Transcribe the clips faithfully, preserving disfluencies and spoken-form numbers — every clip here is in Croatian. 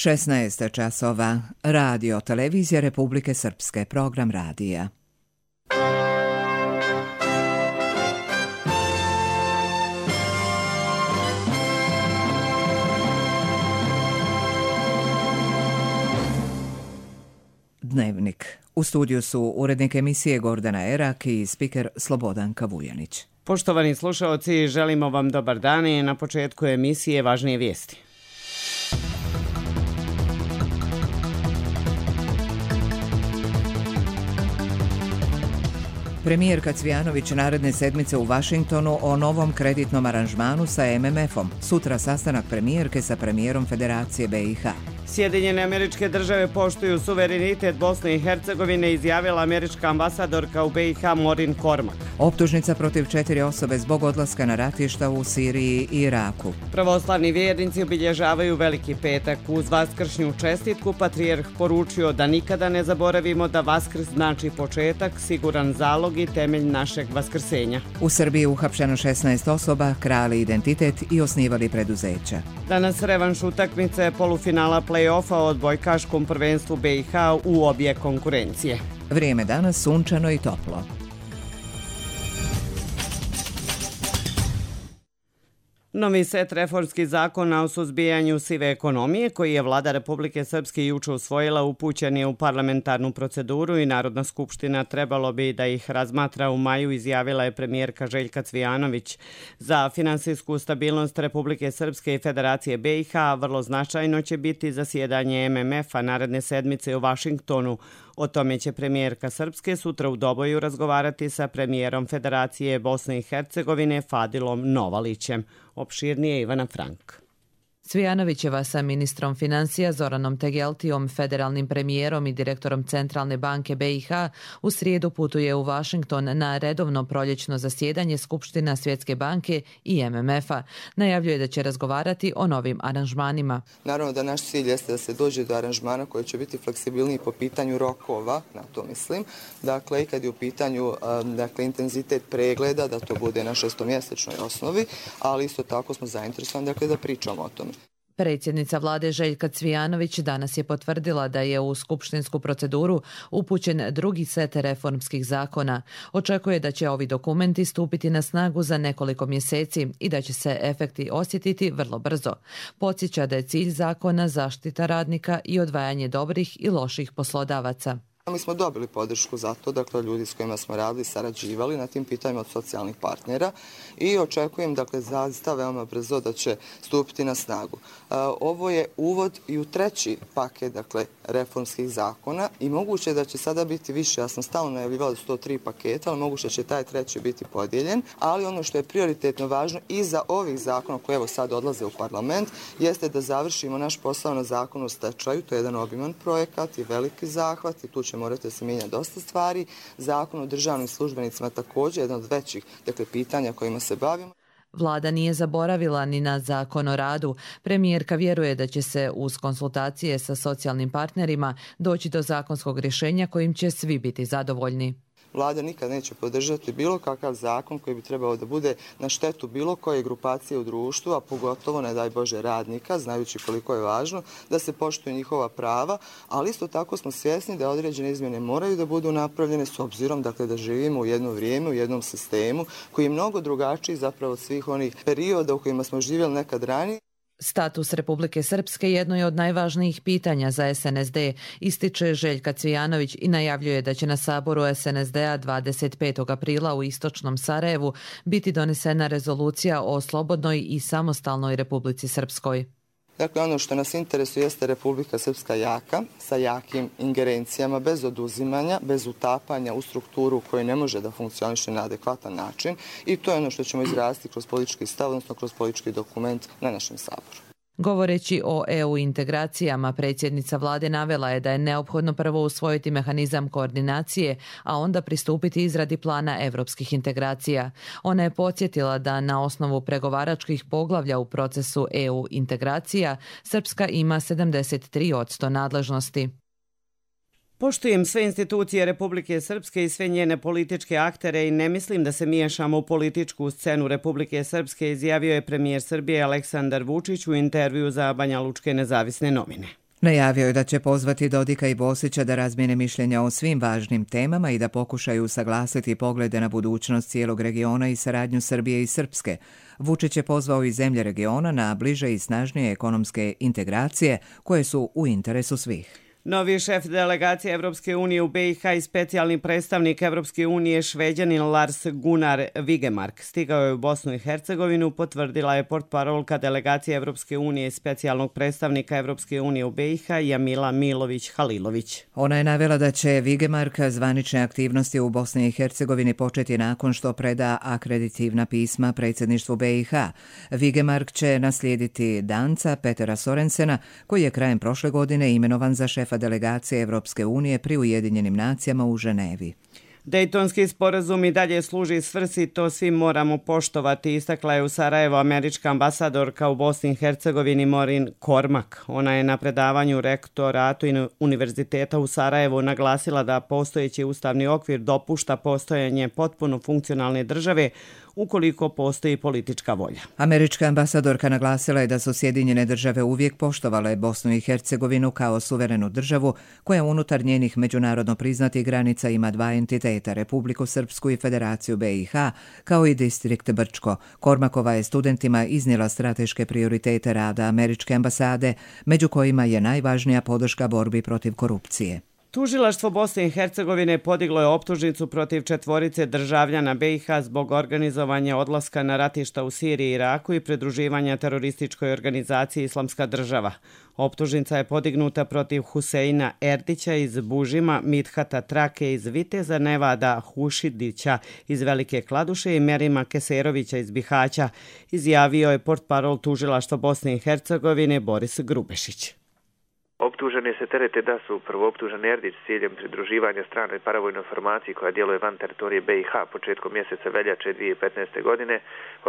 šesnaest časova. Radio Televizija Republike Srpske. Program radija. Dnevnik. U studiju su urednik emisije Gordana Erak i spiker Slobodanka Vujanić. Poštovani slušaoci, želimo vam dobar dan i na početku emisije važnije vijesti. Premijerka Cvijanović naredne sedmice u Vašingtonu o novom kreditnom aranžmanu sa M M F-om. Sutra sastanak premijerke sa premijerom Federacije B i H. Sjedinjene Američke Države poštuju suverenitet Bosne i Hercegovine, izjavila američka ambasadorka u B i H Morin Kormak. Optužnica protiv četiri osobe zbog odlaska na ratišta u Siriji i Iraku. Pravoslavni vjernici obilježavaju Veliki petak. Uz vaskršnju čestitku patrijarh poručio da nikada ne zaboravimo da Vaskrs znači početak, siguran zalog i temelj našeg vaskrsenja. U Srbiji uhapšeno šesnaest osoba, krali identitet i osnivali preduzeća. Danas revanš utakmice polufinala play-offa o odbojkaškom prvenstvu B i H u obje konkurencije. Vrijeme danas sunčano i toplo. Novi set reformskih zakona o suzbijanju sive ekonomije, koji je vlada Republike Srpske juče usvojila, upućen je u parlamentarnu proceduru i Narodna skupština trebalo bi da ih razmatra u maju, izjavila je premijerka Željka Cvijanović. Za finansijsku stabilnost Republike Srpske i Federacije B i H vrlo značajno će biti zasjedanje M M F-a naredne sedmice u Vašingtonu. O tome će premijerka Srpske sutra u Doboju razgovarati sa premijerom Federacije Bosne i Hercegovine Fadilom Novalićem. Opširnije Ivana Frank. Cvijanovićeva sa ministrom financija Zoranom Tegeltijom, federalnim premijerom i direktorom Centralne banke B i H u srijedu putuje u Vašington na redovno proljećno zasjedanje Skupština Svjetske banke i M M F-a. Najavljuje da će razgovarati o novim aranžmanima. Naravno da naš cilj jeste da se dođe do aranžmana koji će biti fleksibilniji po pitanju rokova, na to mislim. Dakle, i kad je u pitanju dakle, intenzitet pregleda, da to bude na šestomjesečnoj osnovi, ali isto tako smo zainteresovani dakle, da pričamo o tome. Predsjednica vlade Željka Cvijanović danas je potvrdila da je u skupštinsku proceduru upućen drugi set reformskih zakona. Očekuje da će ovi dokumenti stupiti na snagu za nekoliko mjeseci i da će se efekti osjetiti vrlo brzo. Podsjeća da je cilj zakona zaštita radnika i odvajanje dobrih i loših poslodavaca. Mi smo dobili podršku za to, dakle ljudi s kojima smo radili, sarađivali na tim pitanjima od socijalnih partnera i očekujem dakle zaista veoma brzo da će stupiti na snagu. Ovo je uvod i u treći paket dakle reformskih zakona i moguće da će sada biti više. Ja sam stalno najavljivala da su to tri paketa, ali moguće će taj treći biti podijeljen, ali ono što je prioritetno važno i za ovih zakona koji evo sad odlaze u parlament jeste da završimo naš posao na zakonu o stečaju. To je jedan obiman projekat i veliki zahvat i tu će morate se mijenjati dosta stvari. Zakon o državnim službenicima također jedan od većih dakle, pitanja kojima se bavimo. Vlada nije zaboravila ni na zakon o radu. Premijerka vjeruje da će se uz konsultacije sa socijalnim partnerima doći do zakonskog rješenja kojim će svi biti zadovoljni. Vlada nikad neće podržati bilo kakav zakon koji bi trebao da bude na štetu bilo koje grupacije u društvu, a pogotovo, ne daj Bože, radnika, znajući koliko je važno da se poštuju njihova prava, ali isto tako smo svjesni da određene izmjene moraju da budu napravljene s obzirom dakle, da živimo u jedno vrijeme, u jednom sistemu koji je mnogo drugačiji zapravo od svih onih perioda u kojima smo živjeli nekad ranije. Status Republike Srpske jedno je od najvažnijih pitanja za S N S D, ističe Željka Cvijanović i najavljuje da će na saboru S N S D-a dvadeset petog aprila u istočnom Sarajevu biti donesena rezolucija o slobodnoj i samostalnoj Republici Srpskoj. Dakle, ono što nas interesuje jeste Republika Srpska jaka, sa jakim ingerencijama, bez oduzimanja, bez utapanja u strukturu koja ne može da funkcioniše na adekvatan način i to je ono što ćemo izraziti kroz politički stav, odnosno kroz politički dokument na našem saboru. Govoreći o E U integracijama, predsjednica vlade navela je da je neophodno prvo usvojiti mehanizam koordinacije, a onda pristupiti izradi plana evropskih integracija. Ona je podsjetila da na osnovu pregovaračkih poglavlja u procesu E U integracija Srpska ima sedamdeset tri posto nadležnosti. Poštujem sve institucije Republike Srpske i sve njene političke aktere i ne mislim da se miješamo u političku scenu Republike Srpske, izjavio je premijer Srbije Aleksandar Vučić u intervju za Banjalučke nezavisne novine. Najavio je da će pozvati Dodika i Bosića da razmijene mišljenja o svim važnim temama i da pokušaju usaglasiti poglede na budućnost cijelog regiona i saradnju Srbije i Srpske. Vučić je pozvao i zemlje regiona na bliže i snažnije ekonomske integracije koje su u interesu svih. Novi šef delegacije Evropske unije u B i H i specijalni predstavnik Evropske unije Šveđanin Lars Gunnar Vigemark stigao je u Bosnu i Hercegovinu, potvrdila je portparolka delegacije Evropske unije i specijalnog predstavnika Evropske unije u B i H Jamila Milović-Halilović. Ona je navela da će Vigemark zvanične aktivnosti u Bosni i Hercegovini početi nakon što preda akreditivna pisma predsjedništvu B i H. Vigemark će naslijediti Danca Petera Sorensena, koji je krajem prošle godine imenovan za šefa delegacije Evropske unije pri Ujedinjenim nacijama u Ženevi. Dejtonski sporazum i dalje služi svrsi, to svi moramo poštovati, istakla je u Sarajevo američka ambasadorka u Bosni i Hercegovini Maureen Cormack. Ona je na predavanju rektoratu Univerziteta u Sarajevu naglasila da postojeći ustavni okvir dopušta postojanje potpuno funkcionalne države ukoliko postoji politička volja. Američka ambasadorka naglasila je da su Sjedinjene države uvijek poštovale Bosnu i Hercegovinu kao suverenu državu koja unutar njenih međunarodno priznatih granica ima dva entiteta, Republiku Srpsku i Federaciju B i H, kao i distrikt Brčko. Kormakova je studentima iznijela strateške prioritete rada američke ambasade, među kojima je najvažnija podrška borbi protiv korupcije. Tužilaštvo Bosne i Hercegovine podiglo je optužnicu protiv četvorice državljana B i H zbog organizovanja odlaska na ratišta u Siriji i Iraku i pridruživanja terorističkoj organizaciji Islamska država. Optužnica je podignuta protiv Huseina Erdića iz Bužima, Mithata Trake iz Viteza, Nevada Hušidića iz Velike Kladuše i Merima Keserovića iz Bihaća, izjavio je portparol Tužilaštva Bosne i Hercegovine Boris Grubešić. Optuženi se terete da su prvooptuženi Erdić s ciljem pridruživanja stranoj paravojnoj formaciji koja djeluje van teritorije B i H početkom mjeseca veljače dvije tisuće petnaeste. godine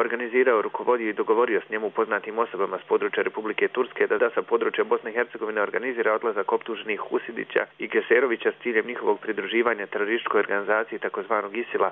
organizirao, rukovodio i dogovorio s njemu poznatim osobama s područja Republike Turske da da sa područja Bosne i Hercegovine organizira odlazak optuženih Husidića i Keserovića s ciljem njihovog pridruživanja terorističkoj organizaciji takozvanog Isila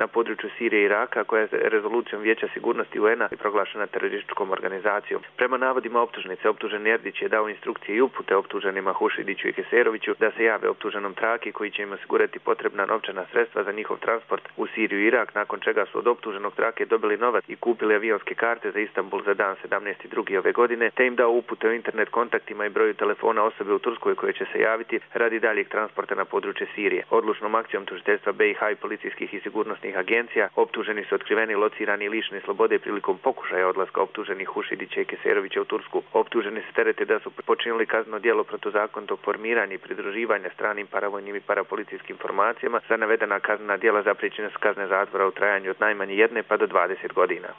na području Sirije i Iraka, koja je rezolucijom Vijeća sigurnosti U N-a proglašena terorističkom organizacijom. Prema navodima optužnice, optuženi Erdić je dao instrukcije i upute optuženima Hušidiću i Keseroviću da se jave optuženom Traki koji će im osigurati potrebna novčana sredstva za njihov transport u Siriju i Irak, nakon čega su od optuženog Trake dobili novac i kupili avionske karte za Istanbul za dan sedamnaesti drugi ove godine, te im dao upute o internet kontaktima i broju telefona osobe u Turskoj koje će se javiti radi daljeg transporta na područje Sirije. Odlučnom akcijom tužiteljstva B i H i policijskih i sigurnosnih agencija optuženi su otkriveni, locirani i lišeni slobode prilikom pokušaja odlaska optuženih Hušidića i Keserovića u Tursku. Optuženi se terete da su počinili kazneno djelo protuzakonitog formiranja i pridruživanja stranim paravojnim i parapolicijskim formacijama. Za navedena kaznena djela zapriječene su kazne zatvora u trajanju od najmanje jedne pa do dvadeset godina.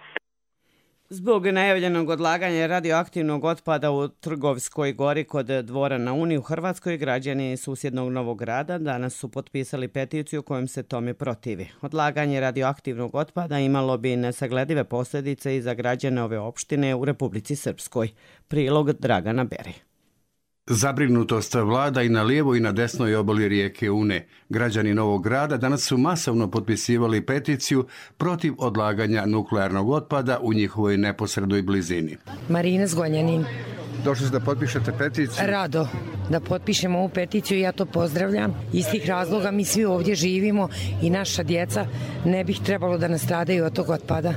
Zbog najavljenog odlaganja radioaktivnog otpada u Trgovskoj gori kod Dvora na Uni u Hrvatskoj, građani susjednog Novog Grada danas su potpisali peticiju kojom se tome protivi. Odlaganje radioaktivnog otpada imalo bi nesagledive posljedice i za građane ove opštine u Republici Srpskoj. Prilog Dragana Beri. Zabrinutost vlada i na lijevoj i na desnoj obali rijeke Une. Građani Novog Grada danas su masovno potpisivali peticiju protiv odlaganja nuklearnog otpada u njihovoj neposrednoj blizini. Marina Zgonjanin. Došli ste da potpišete peticiju? Rado da potpišemo ovu peticiju, ja to pozdravljam. Iz tih razloga mi svi ovdje živimo i naša djeca ne bih trebalo da nastradaju od tog otpada.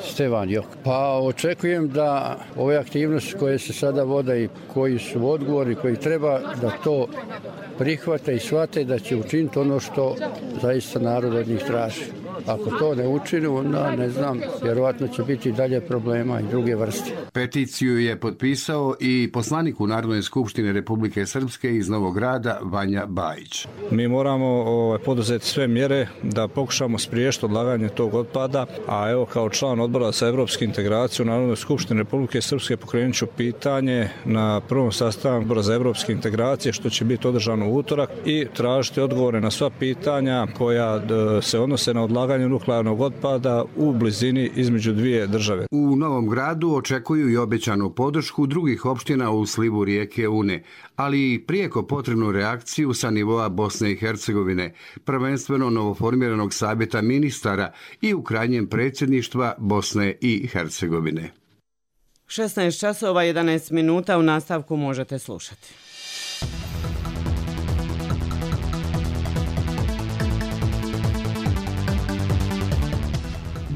Stevan Jok. Pa očekujem da ove aktivnosti koje se sada vode i koji su odgovori, koji treba da to prihvate i shvate da će učiniti ono što zaista narod od njih traži. Ako to ne učine, onda ne znam, vjerovatno će biti dalje problema i druge vrste. Peticiju je potpisao i poslanik u Narodnoj skupštini Republike Srpske iz Novog Grada Vanja Bajić. Mi moramo ovaj, poduzeti sve mjere da pokušamo spriječiti odlaganje tog otpada, a evo kao član odbora za evropsku integraciju u Narodnoj skupštini Republike Srpske pokrenut ću pitanje na prvom sastanku odbora za evropske integracije što će biti održano u utorak i tražiti odgovore na sva pitanja koja d, se odnose na odlaganje nuklearnog otpada u blizini između dvije države. U Novom Gradu očekuju i obećanu podršku drugih opština u slivu rijeke Une, ali i prijeko potrebnu reakciju sa nivoa Bosne i Hercegovine, prvenstveno novoformiranog savjeta ministara i u krajnjem predsjedništva Bosne i Hercegovine. šesnaest časova jedanaest minuta, u nastavku možete slušati.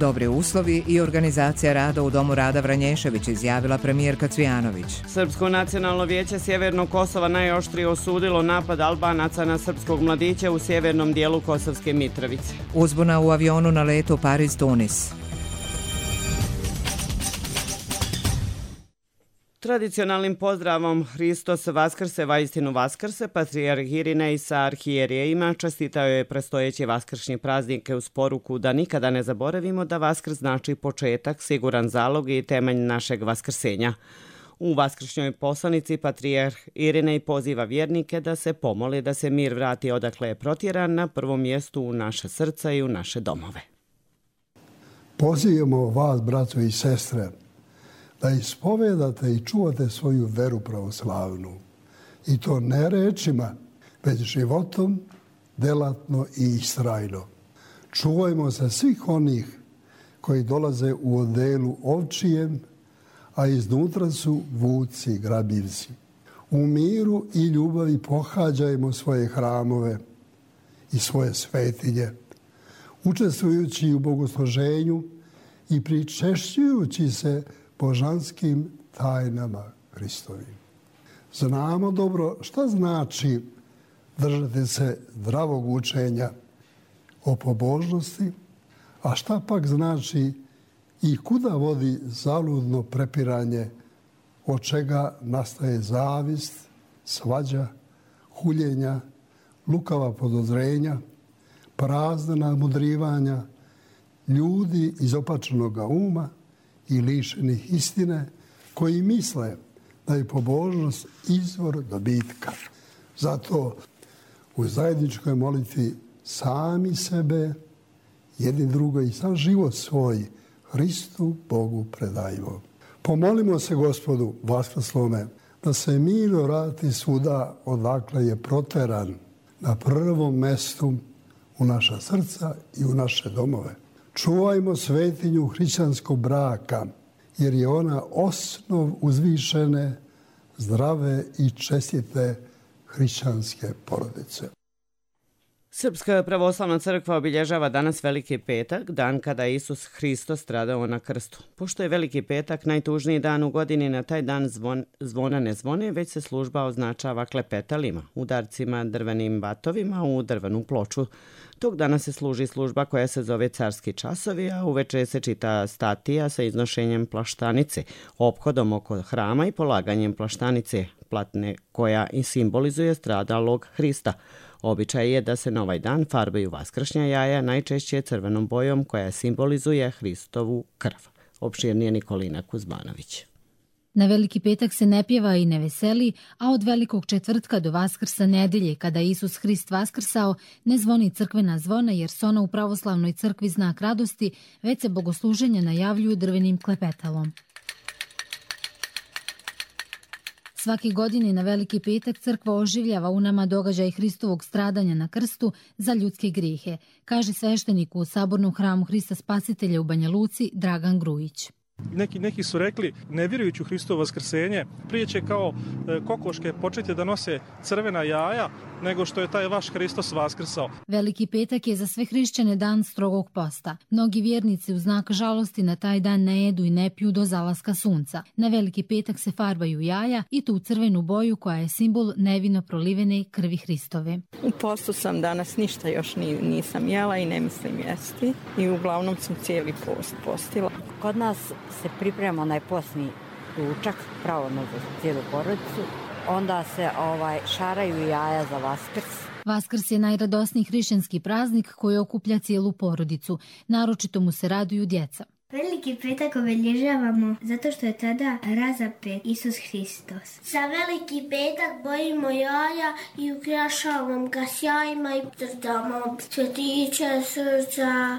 Dobri uslovi i organizacija rada u Domu Rada Vranješević, izjavila premijerka Cvijanović. Srpsko nacionalno vijeće Sjevernog Kosova najoštrije osudilo napad Albanaca na srpskog mladića u sjevernom dijelu Kosovske Mitrovice. Uzbuna u avionu na letu Pariz-Tunis. Tradicionalnim pozdravom Hristos Vaskrse, vaistinu Vaskrse, patrijarh Irinej sa arhijerejima čestitao je predstojeći vaskršnji praznike uz poruku da nikada ne zaboravimo da Vaskrs znači početak, siguran zalog i temelj našeg vaskrsenja. U vaskršnjoj poslanici patrijarh Irinej poziva vjernike da se pomoli da se mir vrati odakle je protjeran, na prvom mjestu u naše srca i u naše domove. Pozivamo vas, braćo i sestre, da ispovedate i čuvate svoju veru pravoslavnu. I to ne rečima, već životom, delatno i istrajno. Čuvajmo se svih onih koji dolaze u odelu ovčijem, a iznutra su vuci, grabljivci. U miru i ljubavi pohađajmo svoje hramove i svoje svetinje, učestvujući u bogosluženju i pričešćujući se božanskim tajnama Hristovim. Znamo dobro šta znači držati se zdravog učenja o pobožnosti, a šta pak znači i kuda vodi zaludno prepiranje, od čega nastaje zavist, svađa, huljenja, lukava podozrenja, prazna nadmudrivanja, ljudi izopačenog uma i lišenih istine koji misle da je pobožnost izvor dobitka. Zato u zajedničkoj molitvi sami sebe, jedni drugo i sam život svoj Hristu Bogu predajmo. Pomolimo se Gospodu vaskrslome da se mir vrati svuda odakle je proteran, na prvom mestu u naša srca i u naše domove. Čuvajmo svetinju hrišćanskog braka, jer je ona osnov uzvišene, zdrave i čestite hrišćanske porodice. Srpska pravoslavna crkva obilježava danas Veliki petak, dan kada je Isus Hristos stradao na krstu. Pošto je Veliki petak najtužniji dan u godini, na taj dan zvon, zvona ne zvone, već se služba označava klepetalima, udarcima, drvenim batovima u drvenu ploču. Tog dana se služi služba koja se zove carski časovi, a uveče se čita statija sa iznošenjem plaštanice, ophodom oko hrama i polaganjem plaštanice, platne koja i simbolizuje stradalog Hrista. Običaj je da se na ovaj dan farbaju vaskršnja jaja, najčešće crvenom bojom koja simbolizuje Hristovu krv. Opširnije Nikolina Kuzmanović. Na Veliki petak se ne pjeva i ne veseli, a od Velikog četvrtka do Vaskrsa nedelje, kada je Isus Hrist vaskrsao, ne zvoni crkvena zvona jer su ona u pravoslavnoj crkvi znak radosti, već se bogosluženja najavljuju drvenim klepetalom. Svake godine na Veliki petak crkva oživljava u nama događaj Hristovog stradanja na krstu za ljudske grijehe, kaže sveštenik u Sabornom hramu Hrista Spasitelja u Banja Luci Dragan Grujić. Neki, neki su rekli, ne vjerujući u Hristovo vaskrsenje, prije će kao e, kokoške početi da nose crvena jaja, nego što je taj vaš Hristos vaskrsao. Veliki petak je za sve hrišćane dan strogog posta. Mnogi vjernici u znak žalosti na taj dan ne jedu i ne piju do zalaska sunca. Na Veliki petak se farbaju jaja i tu crvenu boju koja je simbol nevino prolivene krvi Hristove. U postu sam danas, ništa još nisam jela i ne mislim jesti i uglavnom sam cijeli post postila. Kod nas se priprema onaj postni ručak, pravodno za cijelu porodicu. Onda se ovaj, šaraju jaja za Vaskrs. Vaskrs je najradosniji hrišćanski praznik koji okuplja cijelu porodicu. Naročito mu se raduju djeca. Veliki petak obilježavamo zato što je tada razapet Isus Hristos. Za Veliki petak bojimo jaja i ukrašavamo ga sjajima i dodamo cvjetiće, srca.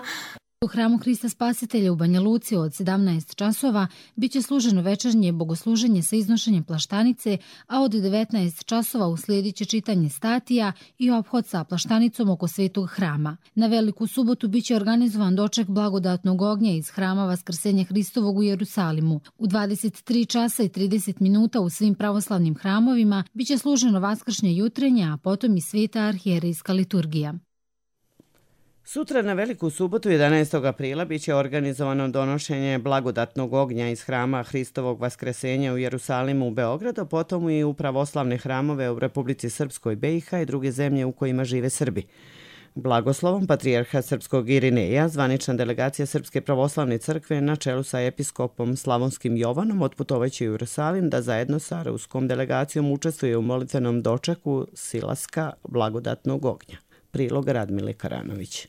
U hramu Hrista Spasitelja u Banja Luci od sedamnaest časova biće služeno večernje bogosluženje sa iznošenjem plaštanice, a od devetnaest časova uslijedit će čitanje statija i ophod sa plaštanicom oko svetog hrama. Na Veliku subotu biće organizovan doček blagodatnog ognja iz hrama Vaskrsenja Hristovog u Jerusalimu. U dvadeset tri časa i trideset minuta u svim pravoslavnim hramovima biće služeno vaskršnje jutrenje, a potom i sveta arhijerejska liturgija. Sutra na Veliku subotu jedanaestog aprila biće organizovano donošenje blagodatnog ognja iz hrama Hristovog Vaskresenja u Jerusalimu u Beogradu, potom i u pravoslavne hramove u Republici Srpskoj, B i H i druge zemlje u kojima žive Srbi. Blagoslovom patrijarha srpskog Irineja, zvanična delegacija Srpske pravoslavne crkve na čelu sa episkopom Slavonskim Jovanom otputovaće u Jerusalim da zajedno sa ruskom delegacijom učestvuje u molitvenom dočeku silaska blagodatnog ognja. Prilog Radmile Karanović.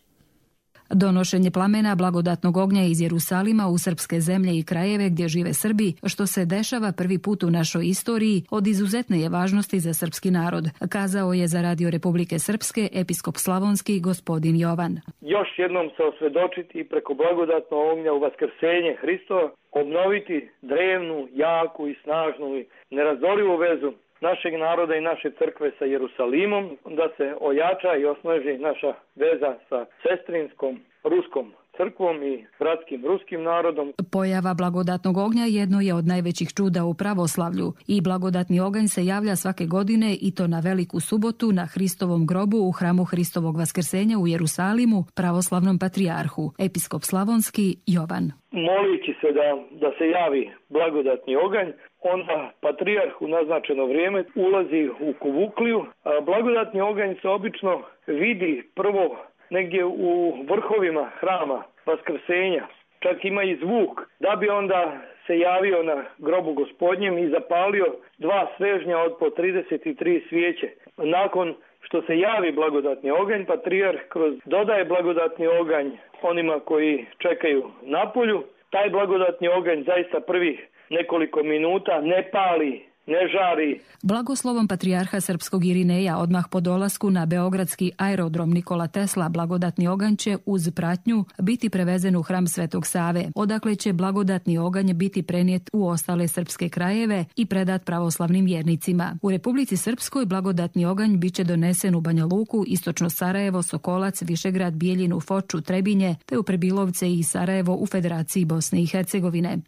Donošenje plamena blagodatnog ognja iz Jerusalima u srpske zemlje i krajeve gdje žive Srbi, što se dešava prvi put u našoj istoriji, od izuzetne je važnosti za srpski narod, kazao je za Radio Republike Srpske episkop Slavonski gospodin Jovan. Još jednom se osvjedočiti i preko blagodatnog ognja u vaskrsenje Hristova, obnoviti drevnu, jaku i snažnu i nerazdorivu vezu našeg naroda i naše crkve sa Jerusalimom, da se ojača i osnaži naša veza sa sestrinskom ruskom crkvom i bratskim ruskim narodom. Pojava blagodatnog ognja jedno je od najvećih čuda u pravoslavlju i blagodatni oganj se javlja svake godine i to na Veliku subotu na Hristovom grobu u hramu Hristovog Vaskrsenja u Jerusalimu, pravoslavnom patrijarhu, episkop Slavonski Jovan. Molići se da, da se javi blagodatni oganj, onda patrijarh u naznačeno vrijeme ulazi u kuvukliju. A blagodatni oganj se obično vidi prvo negdje u vrhovima hrama Vaskrsenja. Čak ima i zvuk, da bi onda se javio na grobu Gospodnjem i zapalio dva svežnja od po trideset tri svijeće. Nakon što se javi blagodatni oganj, patrijarh kroz dodaje blagodatni oganj onima koji čekaju na polju. Taj blagodatni oganj zaista prvih nekoliko minuta ne pali, ne žari. Blagoslovom patrijarha srpskog Irineja odmah po dolasku na beogradski aerodrom Nikola Tesla blagodatni oganj će uz pratnju biti prevezen u hram Svetog Save, odakle će blagodatni oganj biti prenijet u ostale srpske krajeve i predat pravoslavnim vjernicima. U Republici Srpskoj blagodatni oganj biće donesen u Banja Luku, istočno Sarajevo, Sokolac, Višegrad, Bijeljinu, Foču, Trebinje, te u Prebilovce i Sarajevo u Federaciji Bosne i Hercegovine.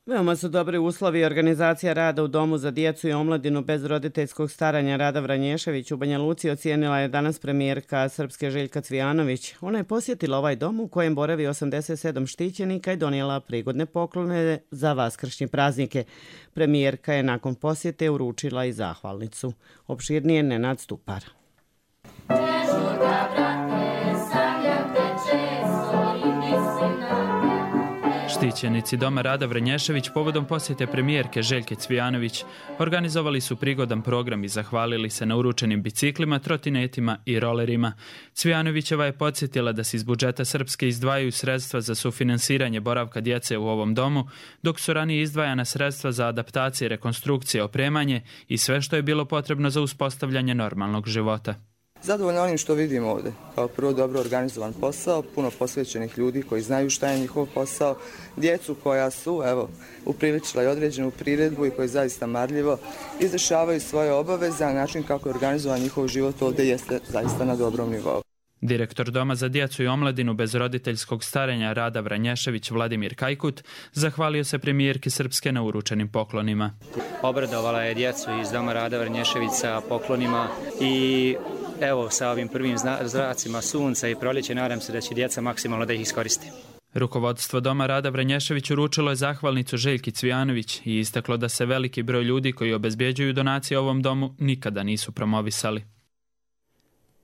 Veoma su dobri uslovi i organizacija rada u Domu za djecu i omladinu bez roditeljskog staranja. Rada Vranješević u Banja Luci ocijenila je danas premijerka Srpske Željka Cvijanović. Ona je posjetila ovaj dom u kojem boravi osamdeset sedam štićenika i donijela prigodne poklone za vaskršnje praznike. Premijerka je nakon posjete uručila i zahvalnicu. Opširnije Nenad Stupar. Štićenici Doma Rada Vranješević povodom posjete premijerke Željke Cvijanović organizovali su prigodan program i zahvalili se na uručenim biciklima, trotinetima i rolerima. Cvijanovićeva je podsjetila da se iz budžeta Srpske izdvajaju sredstva za sufinansiranje boravka djece u ovom domu, dok su ranije izdvajana sredstva za adaptacije, rekonstrukcije, opremanje i sve što je bilo potrebno za uspostavljanje normalnog života. Zadovoljno onim što vidimo ovdje. Kao prvo dobro organizovan posao, puno posvećenih ljudi koji znaju šta je njihov posao, djecu koja su evo, upriličila i određenu priredbu i koji zaista marljivo izvršavaju svoje obaveze, a način kako je organizovan njihov život ovdje jeste zaista na dobrom nivou. Direktor Doma za djecu i omladinu bez roditeljskog starenja Rada Vranješević Vladimir Kajkut zahvalio se premijerki Srpske na uručenim poklonima. Obradovala je djecu iz Doma Rada Vranješević sa poklonima i evo sa ovim prvim zracima sunca i proljeće nadam se da će djeca maksimalno da ih iskoriste. Rukovodstvo Doma Rada Vranješević uručilo je zahvalnicu Željki Cvijanović i istaklo da se veliki broj ljudi koji obezbjeđuju donacije ovom domu nikada nisu promovisali.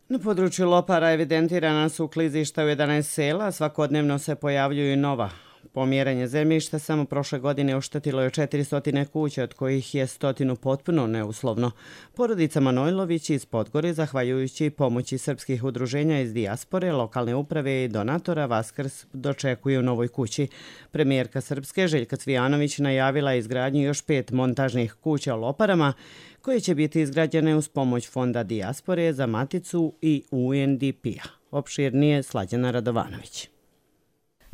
Na području Lopara evidentirana su klizišta u jedanaest sela, svakodnevno se pojavljuju nova. Pomjeranje zemljišta samo prošle godine oštetilo je četiristo kuća, od kojih je stotinu potpuno neuslovno. Porodica Manojlović iz Podgore, zahvaljujući pomoći srpskih udruženja iz dijaspore, lokalne uprave i donatora, Vaskrs dočekuju u novoj kući. Premijerka Srpske Željka Cvijanović najavila izgradnju još pet montažnih kuća u Loparama, koje će biti izgrađene uz pomoć Fonda dijaspore za Maticu i U N D P-a. Opširnije Slađana Radovanović.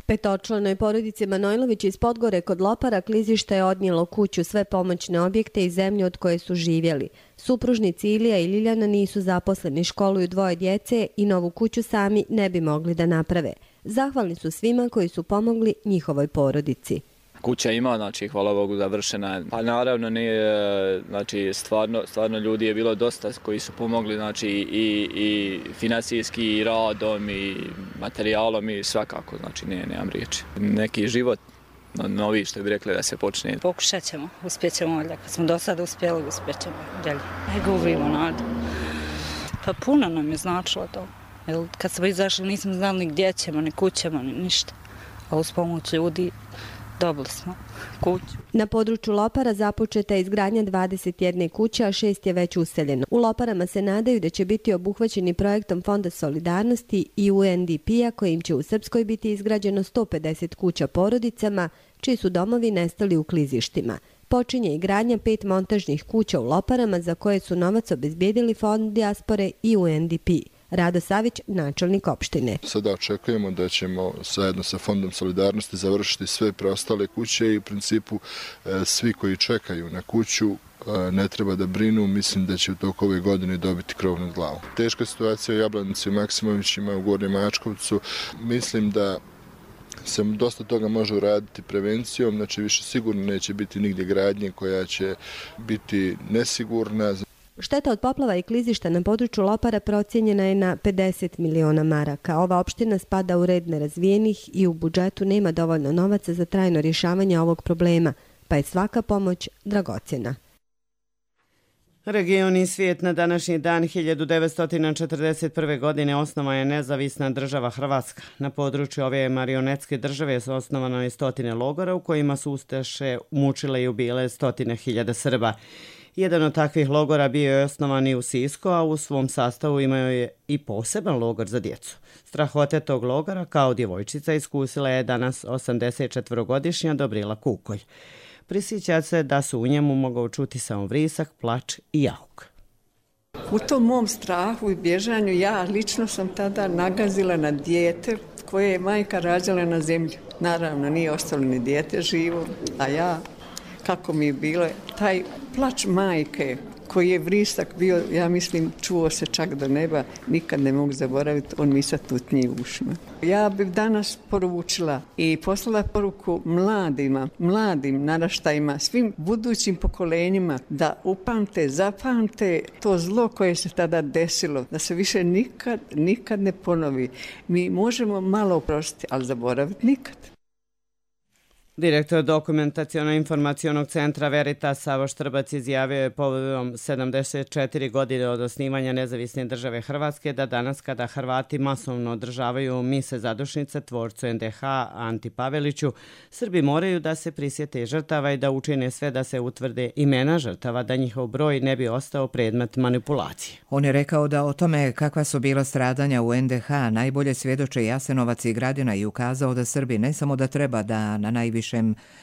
Petočlanoj porodici Manojlović iz Podgore kod Lopara klizište je odnijelo kuću, sve pomoćne objekte i zemlju od koje su živjeli. Supružnici Ilija i Liljana nisu zaposleni, školuju dvoje djece i novu kuću sami ne bi mogli da naprave. Zahvalni su svima koji su pomogli njihovoj porodici. Kuća ima, znači hvala Bogu završena. Pa naravno nije, znači stvarno, stvarno ljudi je bilo dosta koji su pomogli, znači i, i financijski i radom i materijalom i svakako, znači ne, nemam riječi. Neki život novi, što bi rekli, da se počne. Pokušat ćemo, uspjet ćemo, kad smo do sada uspjeli, uspjet ćemo dalje. Ne gubimo nadu. Pa puno nam je značilo to. Jer kad smo izašli nismo znali ni gdje ćemo, ni kućemo, ni ništa. A uz pomoć ljudi dobili smo kuću. Na području Lopara započeta je izgradnja dvadeset jedne kuće, a šest je već useljeno. U Loparama se nadaju da će biti obuhvaćeni projektom Fonda solidarnosti i U N D P-a kojim će u Srpskoj biti izgrađeno sto pedeset kuća porodicama, čiji su domovi nestali u klizištima. Počinje i gradnja pet montažnih kuća u Loparama za koje su novac obezbijedili Fond dijaspore i U N D P. Rado Savić, načelnik opštine. Sada očekujemo da ćemo zajedno sa Fondom solidarnosti završiti sve preostale kuće i u principu svi koji čekaju na kuću ne treba da brinu, mislim da će u toku ove godine dobiti krov nad glavom. Teška situacija u Jablanici i Maksimovićima u Gornjem Mačkovcu, mislim da se dosta toga može uraditi prevencijom, znači više sigurno neće biti nigdje gradnje koja će biti nesigurna. Šteta od poplava i klizišta na području Lopara procijenjena je na pedeset miliona maraka. Ova opština spada u red nerazvijenih i u budžetu nema dovoljno novaca za trajno rješavanje ovog problema, pa je svaka pomoć dragocjena. Region i svijet. Na današnji dan hiljadu devetsto četrdeset prve. godine osnovana je nezavisna država Hrvatska. Na području ove marionetske države su osnovano i stotine logora u kojima su ustaše mučile i ubile stotine hiljada Srba. Jedan od takvih logora bio je osnovan i u Sisku, a u svom sastavu imao je i poseban logor za djecu. Strahote tog logora kao djevojčica iskusila je danas osamdesetčetvorogodišnja Dobrila Kukolj. Prisjeća se da su u njemu mogao čuti samo vrisak, plač i jauk. U tom mom strahu i bježanju ja lično sam tada nagazila na dijete koje je majka rađala na zemlji. Naravno, nije ostalo ni dijete živo, a ja, kako mi je bilo, taj plač majke koji je vrisak bio, ja mislim, čuo se čak do neba, nikad ne mogu zaboraviti, on mi sad tutnji u ušima. Ja bih danas poručila i poslala poruku mladima, mladim naraštajima, svim budućim pokolenjima da upamte, zapamte to zlo koje se tada desilo, da se više nikad, nikad ne ponovi. Mi možemo malo oprostiti, ali zaboraviti nikad. Direktor dokumentaciono-informacionog centra Veritas Savo Štrbac izjavio je povodom sedamdeset četiri godine od osnivanja nezavisne države Hrvatske da danas kada Hrvati masovno održavaju mise zadušnice tvorcu N D H Anti Paveliću, Srbi moraju da se prisjete žrtava i da učine sve da se utvrde imena žrtava, da njihov broj ne bi ostao predmet manipulacije. On je rekao da o tome kakva su bila stradanja u N D H najbolje svjedoče Jasenovac i Gradina i ukazao da Srbi ne samo da treba da na najviše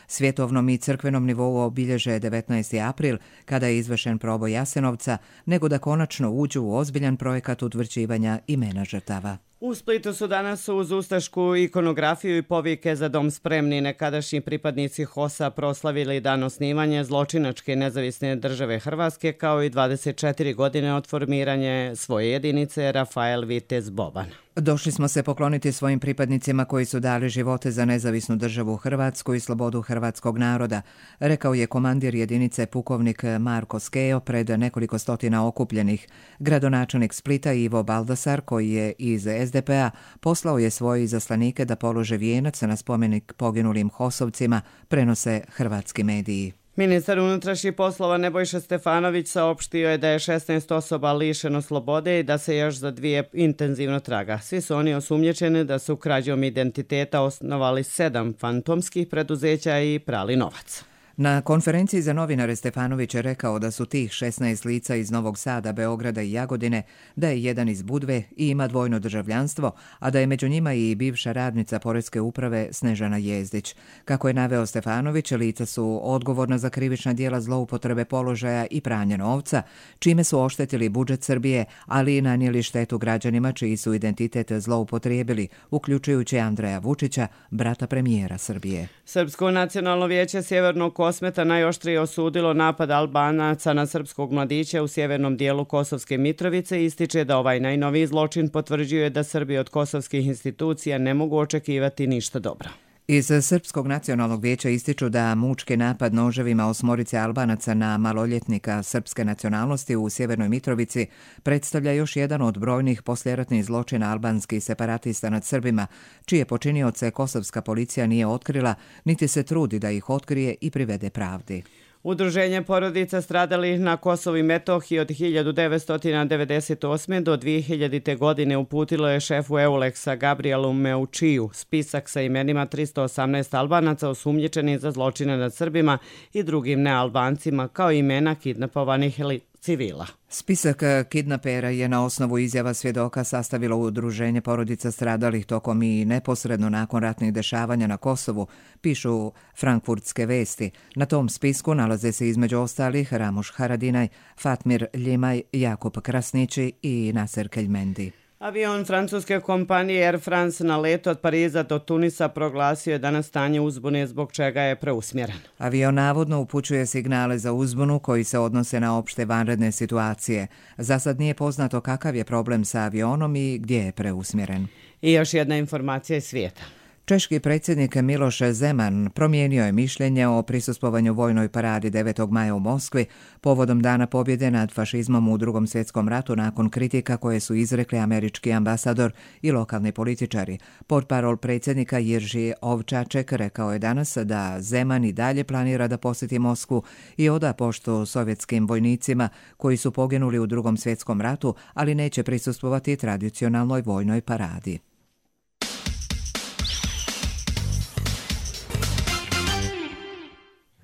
svjetovnom i crkvenom nivou obilježe devetnaesti april kada je izvršen proboj Jasenovca, nego da konačno uđu u ozbiljan projekat utvrđivanja imena žrtava. U Splitu su danas uz ustašku ikonografiju i povike za dom spremni nekadašnji pripadnici H O S-a proslavili dan osnivanja zločinačke nezavisne države Hrvatske kao i dvadeset četiri godine od formiranja svoje jedinice Rafael Vitez Boban. Došli smo se pokloniti svojim pripadnicima koji su dali živote za nezavisnu državu Hrvatsku i slobodu hrvatskog naroda, rekao je komandir jedinice pukovnik Marko Skejo pred nekoliko stotina okupljenih. Gradonačelnik Splita Ivo Baldasar, koji je iz S D P-a, poslao je svoje izaslanike da polože vijenac na spomenik poginulim hosovcima, prenose hrvatski mediji. Ministar unutrašnjih poslova Nebojša Stefanović saopštio je da je šesnaest osoba lišeno slobode i da se još za dvije intenzivno traga. Svi su oni osumnjičeni da su krađom identiteta osnovali sedam fantomskih preduzeća i prali novac. Na konferenciji za novinare Stefanović je rekao da su tih šesnaest lica iz Novog Sada, Beograda i Jagodine, da je jedan iz Budve i ima dvojno državljanstvo, a da je među njima i bivša radnica Poreske uprave Snežana Jezdić. Kako je naveo Stefanović, lica su odgovorna za krivična djela zloupotrebe položaja i pranja novca, čime su oštetili budžet Srbije, ali i nanijeli štetu građanima čiji su identitet zloupotrijebili, uključujući Andreja Vučića, brata premijera Srbije. Srpsko nacionalno vijeće Sjevernog Kosmeta najoštrije osudilo napad Albanaca na srpskog mladića u sjevernom dijelu Kosovske Mitrovice i ističe da ovaj najnoviji zločin potvrđuje da Srbi od kosovskih institucija ne mogu očekivati ništa dobro. Iz Srpskog nacionalnog vijeća ističu da mučki napad noževima osmorice Albanaca na maloljetnika srpske nacionalnosti u Sjevernoj Mitrovici predstavlja još jedan od brojnih posljeratnih zločina albanskih separatista nad Srbima, čije počinioce kosovska policija nije otkrila, niti se trudi da ih otkrije i privede pravdi. Udruženje porodica stradalih na Kosovu i Metohiji od hiljadu devetsto devedeset osme. do dvije hiljadite. godine uputilo je šefu Euleksa Gabrielu Meučiju spisak sa imenima tristo osamnaest Albanaca osumnjičenih za zločine nad Srbima i drugim nealbancima, kao imena kidnapovanih civila. Spisak kidnapera je na osnovu izjava svjedoka sastavilo udruženje porodica stradalih tokom i neposredno nakon ratnih dešavanja na Kosovu, pišu frankfurtske vesti. Na tom spisku nalaze se između ostalih Ramuš Haradinaj, Fatmir Ljimaj, Jakub Krasnići i Naser Keljmendi. Avion francuske kompanije Air France na letu od Pariza do Tunisa proglasio je danas stanje uzbune, zbog čega je preusmjeren. Avion navodno upućuje signale za uzbunu koji se odnose na opšte vanredne situacije. Za sad nije poznato kakav je problem sa avionom i gdje je preusmjeren. I još jedna informacija iz svijeta. Češki predsjednik Miloš Zeman promijenio je mišljenje o prisustvovanju vojnoj paradi devetog maja u Moskvi povodom Dana pobjede nad fašizmom u Drugom svjetskom ratu nakon kritika koje su izrekli američki ambasador i lokalni političari. Portparol predsjednika Jirži Ovčaček rekao je danas da Zeman i dalje planira da posjeti Moskvu i oda poštu sovjetskim vojnicima koji su poginuli u Drugom svjetskom ratu, ali neće prisustvovati tradicionalnoj vojnoj paradi.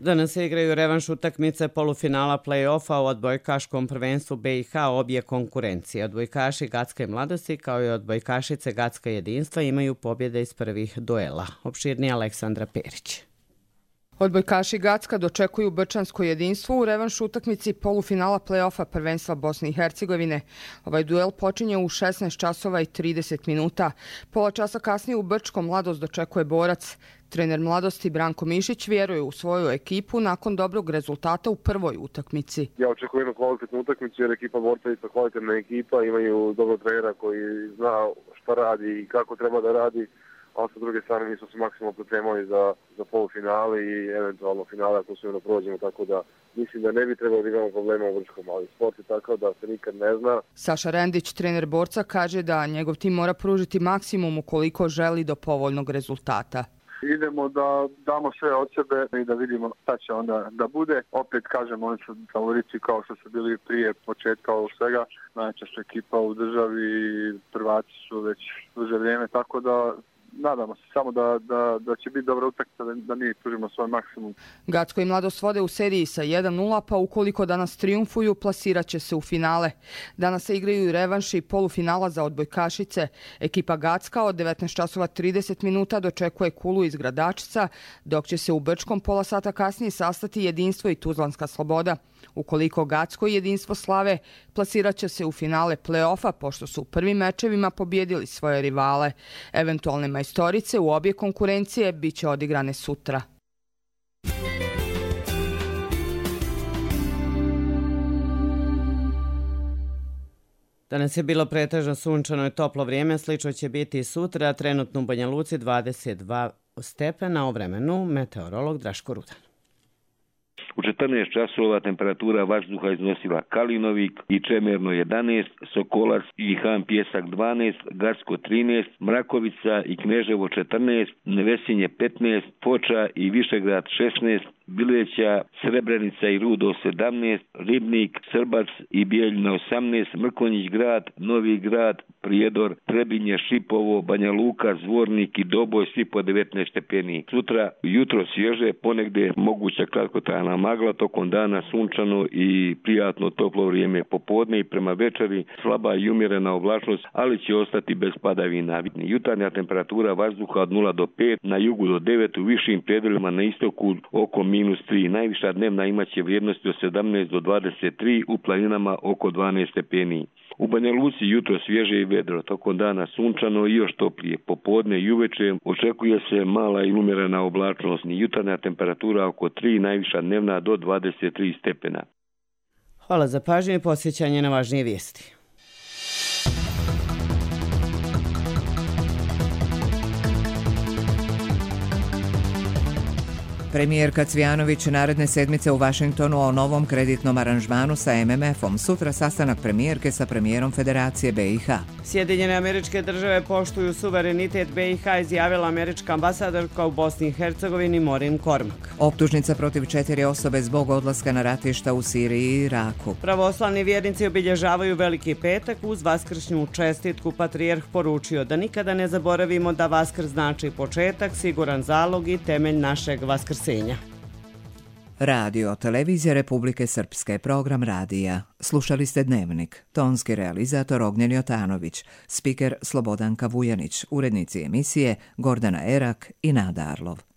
Danas se igraju revanš utakmice polufinala play-offa u odbojkaškom prvenstvu B i H obje konkurencije. Odbojkaši Gacka i Mladosti kao i odbojkašice Gacka jedinstva imaju pobjede iz prvih duela. Opširnije Aleksandra Perić. Odbojkaši Gacka dočekuju Brčansko jedinstvo u revanš utakmici polufinala play-offa prvenstva Bosne i Hercegovine. Ovaj duel počinje u šesnaest časova i trideset minuta. Pola časa kasnije u Brčkom Mladost dočekuje Borac. Trener Mladosti Branko Mišić vjeruje u svoju ekipu nakon dobrog rezultata u prvoj utakmici. Ja očekujem jednu kvalitetnu utakmicu jer ekipa Borca je isto kvalitetna ekipa, imaju dobrog trenera koji zna šta radi i kako treba da radi, a sa druge strane mi smo se maksimalno pripremali za, za polufinale i eventualno finale ako se ono prođemo, tako da mislim da ne bi trebalo da imamo problema u Brčkom, ali sport je takav da se nikad ne zna. Saša Rendić, trener Borca, kaže da njegov tim mora pružiti maksimum ukoliko želi do povoljnog rezultata. Idemo da damo sve od sebe i da vidimo šta će onda da bude. Opet kažem, oni su favoriti kao što su bili prije početka ovog svega. Najjača su ekipa u državi i prvaci su već duže vrijeme, tako da nadamo se samo da, da, da će biti dobra utakmica, da, da mi pružimo svoj maksimum. Gacko i Mladost vode u seriji sa jedan nula, pa ukoliko danas triumfuju, plasirat će se u finale. Danas se igraju i revanši i polufinala za odbojkašice. Ekipa Gacka od devetnaest časova trideset minuta dočekuje Kulu iz Gradačica, dok će se u Brčkom pola sata kasnije sastati Jedinstvo i Tuzlanska Sloboda. Ukoliko Gacko i Jedinstvo slave, plasirat će se u finale play-offa, pošto su u prvim mečevima pobjedili svoje rivale. Eventualne majstorice u obje konkurencije bit će odigrane sutra. Danas je bilo pretežno sunčano i toplo vrijeme, slično će biti i sutra, trenutno u Banja Luci dvadeset dva stepena, o vremenu meteorolog Draško Rudan. U četrnaest časova temperatura vazduha iznosila Kalinovik i Čemerno jedanaest, Sokolac i Han Pjesak dvanaest, Garsko trinaest, Mrakovica i Kneževo četrnaest, Nevesinje petnaest, Foča i Višegrad šesnaest, Bileća, Srebrenica i Rudo sedamnaest, Ribnik, Srbac i Bijeljina osamnaest, Mrkonjić grad, Novi grad, Prijedor, Trebinje, Šipovo, Banja Luka, Zvornik i Doboj svi po devetnaest stepeni. Sutra jutro svježe, ponegdje moguća kratkotrajna magla, tokom dana sunčano i prijatno toplo vrijeme. Popodne i prema večeri slaba i umjerena oblačnost, ali će ostati bez padavina. Jutarnja temperatura vazduha od nula do pet, na jugu do devet, u višim predjelima na istoku oko minus tri. Najviša dnevna imaće vrijednosti od sedamnaest do dvadeset tri, u planinama oko dvanaest stepeni. U Banja Luci jutro svježe i vedro, tokom dana sunčano i još toplije. Popodne i uveče očekuje se mala i umjerena oblačnost. Jutarnja temperatura oko tri, najviša dnevna do dvadeset tri stepena. Hvala za pažnju i posjećanje na važnije vijesti. Premijerka Cvijanović naredne sedmice u Vašingtonu o novom kreditnom aranžmanu sa em em efom. Sutra sastanak premijerke sa premijerom Federacije be i ha. Sjedinjene Američke Države poštuju suverenitet be i ha, izjavila američka ambasadorka u Bosni i Hercegovini Maureen Cormack. Optužnica protiv četiri osobe zbog odlaska na ratišta u Siriji i Iraku. Pravoslavni vjernici obilježavaju Veliki petak uz vaskršnju čestitku. Patrijarh poručio da nikada ne zaboravimo da Vaskrs znači početak, siguran zalog i temelj našeg vaskrsenja. Radio, televizija Republike Srpske, program radija. Slušali ste Dnevnik. Tonski realizator Ognjen Jotanović, spiker Slobodanka Vujanić, urednici emisije Gordana Erak i Nada Arlov.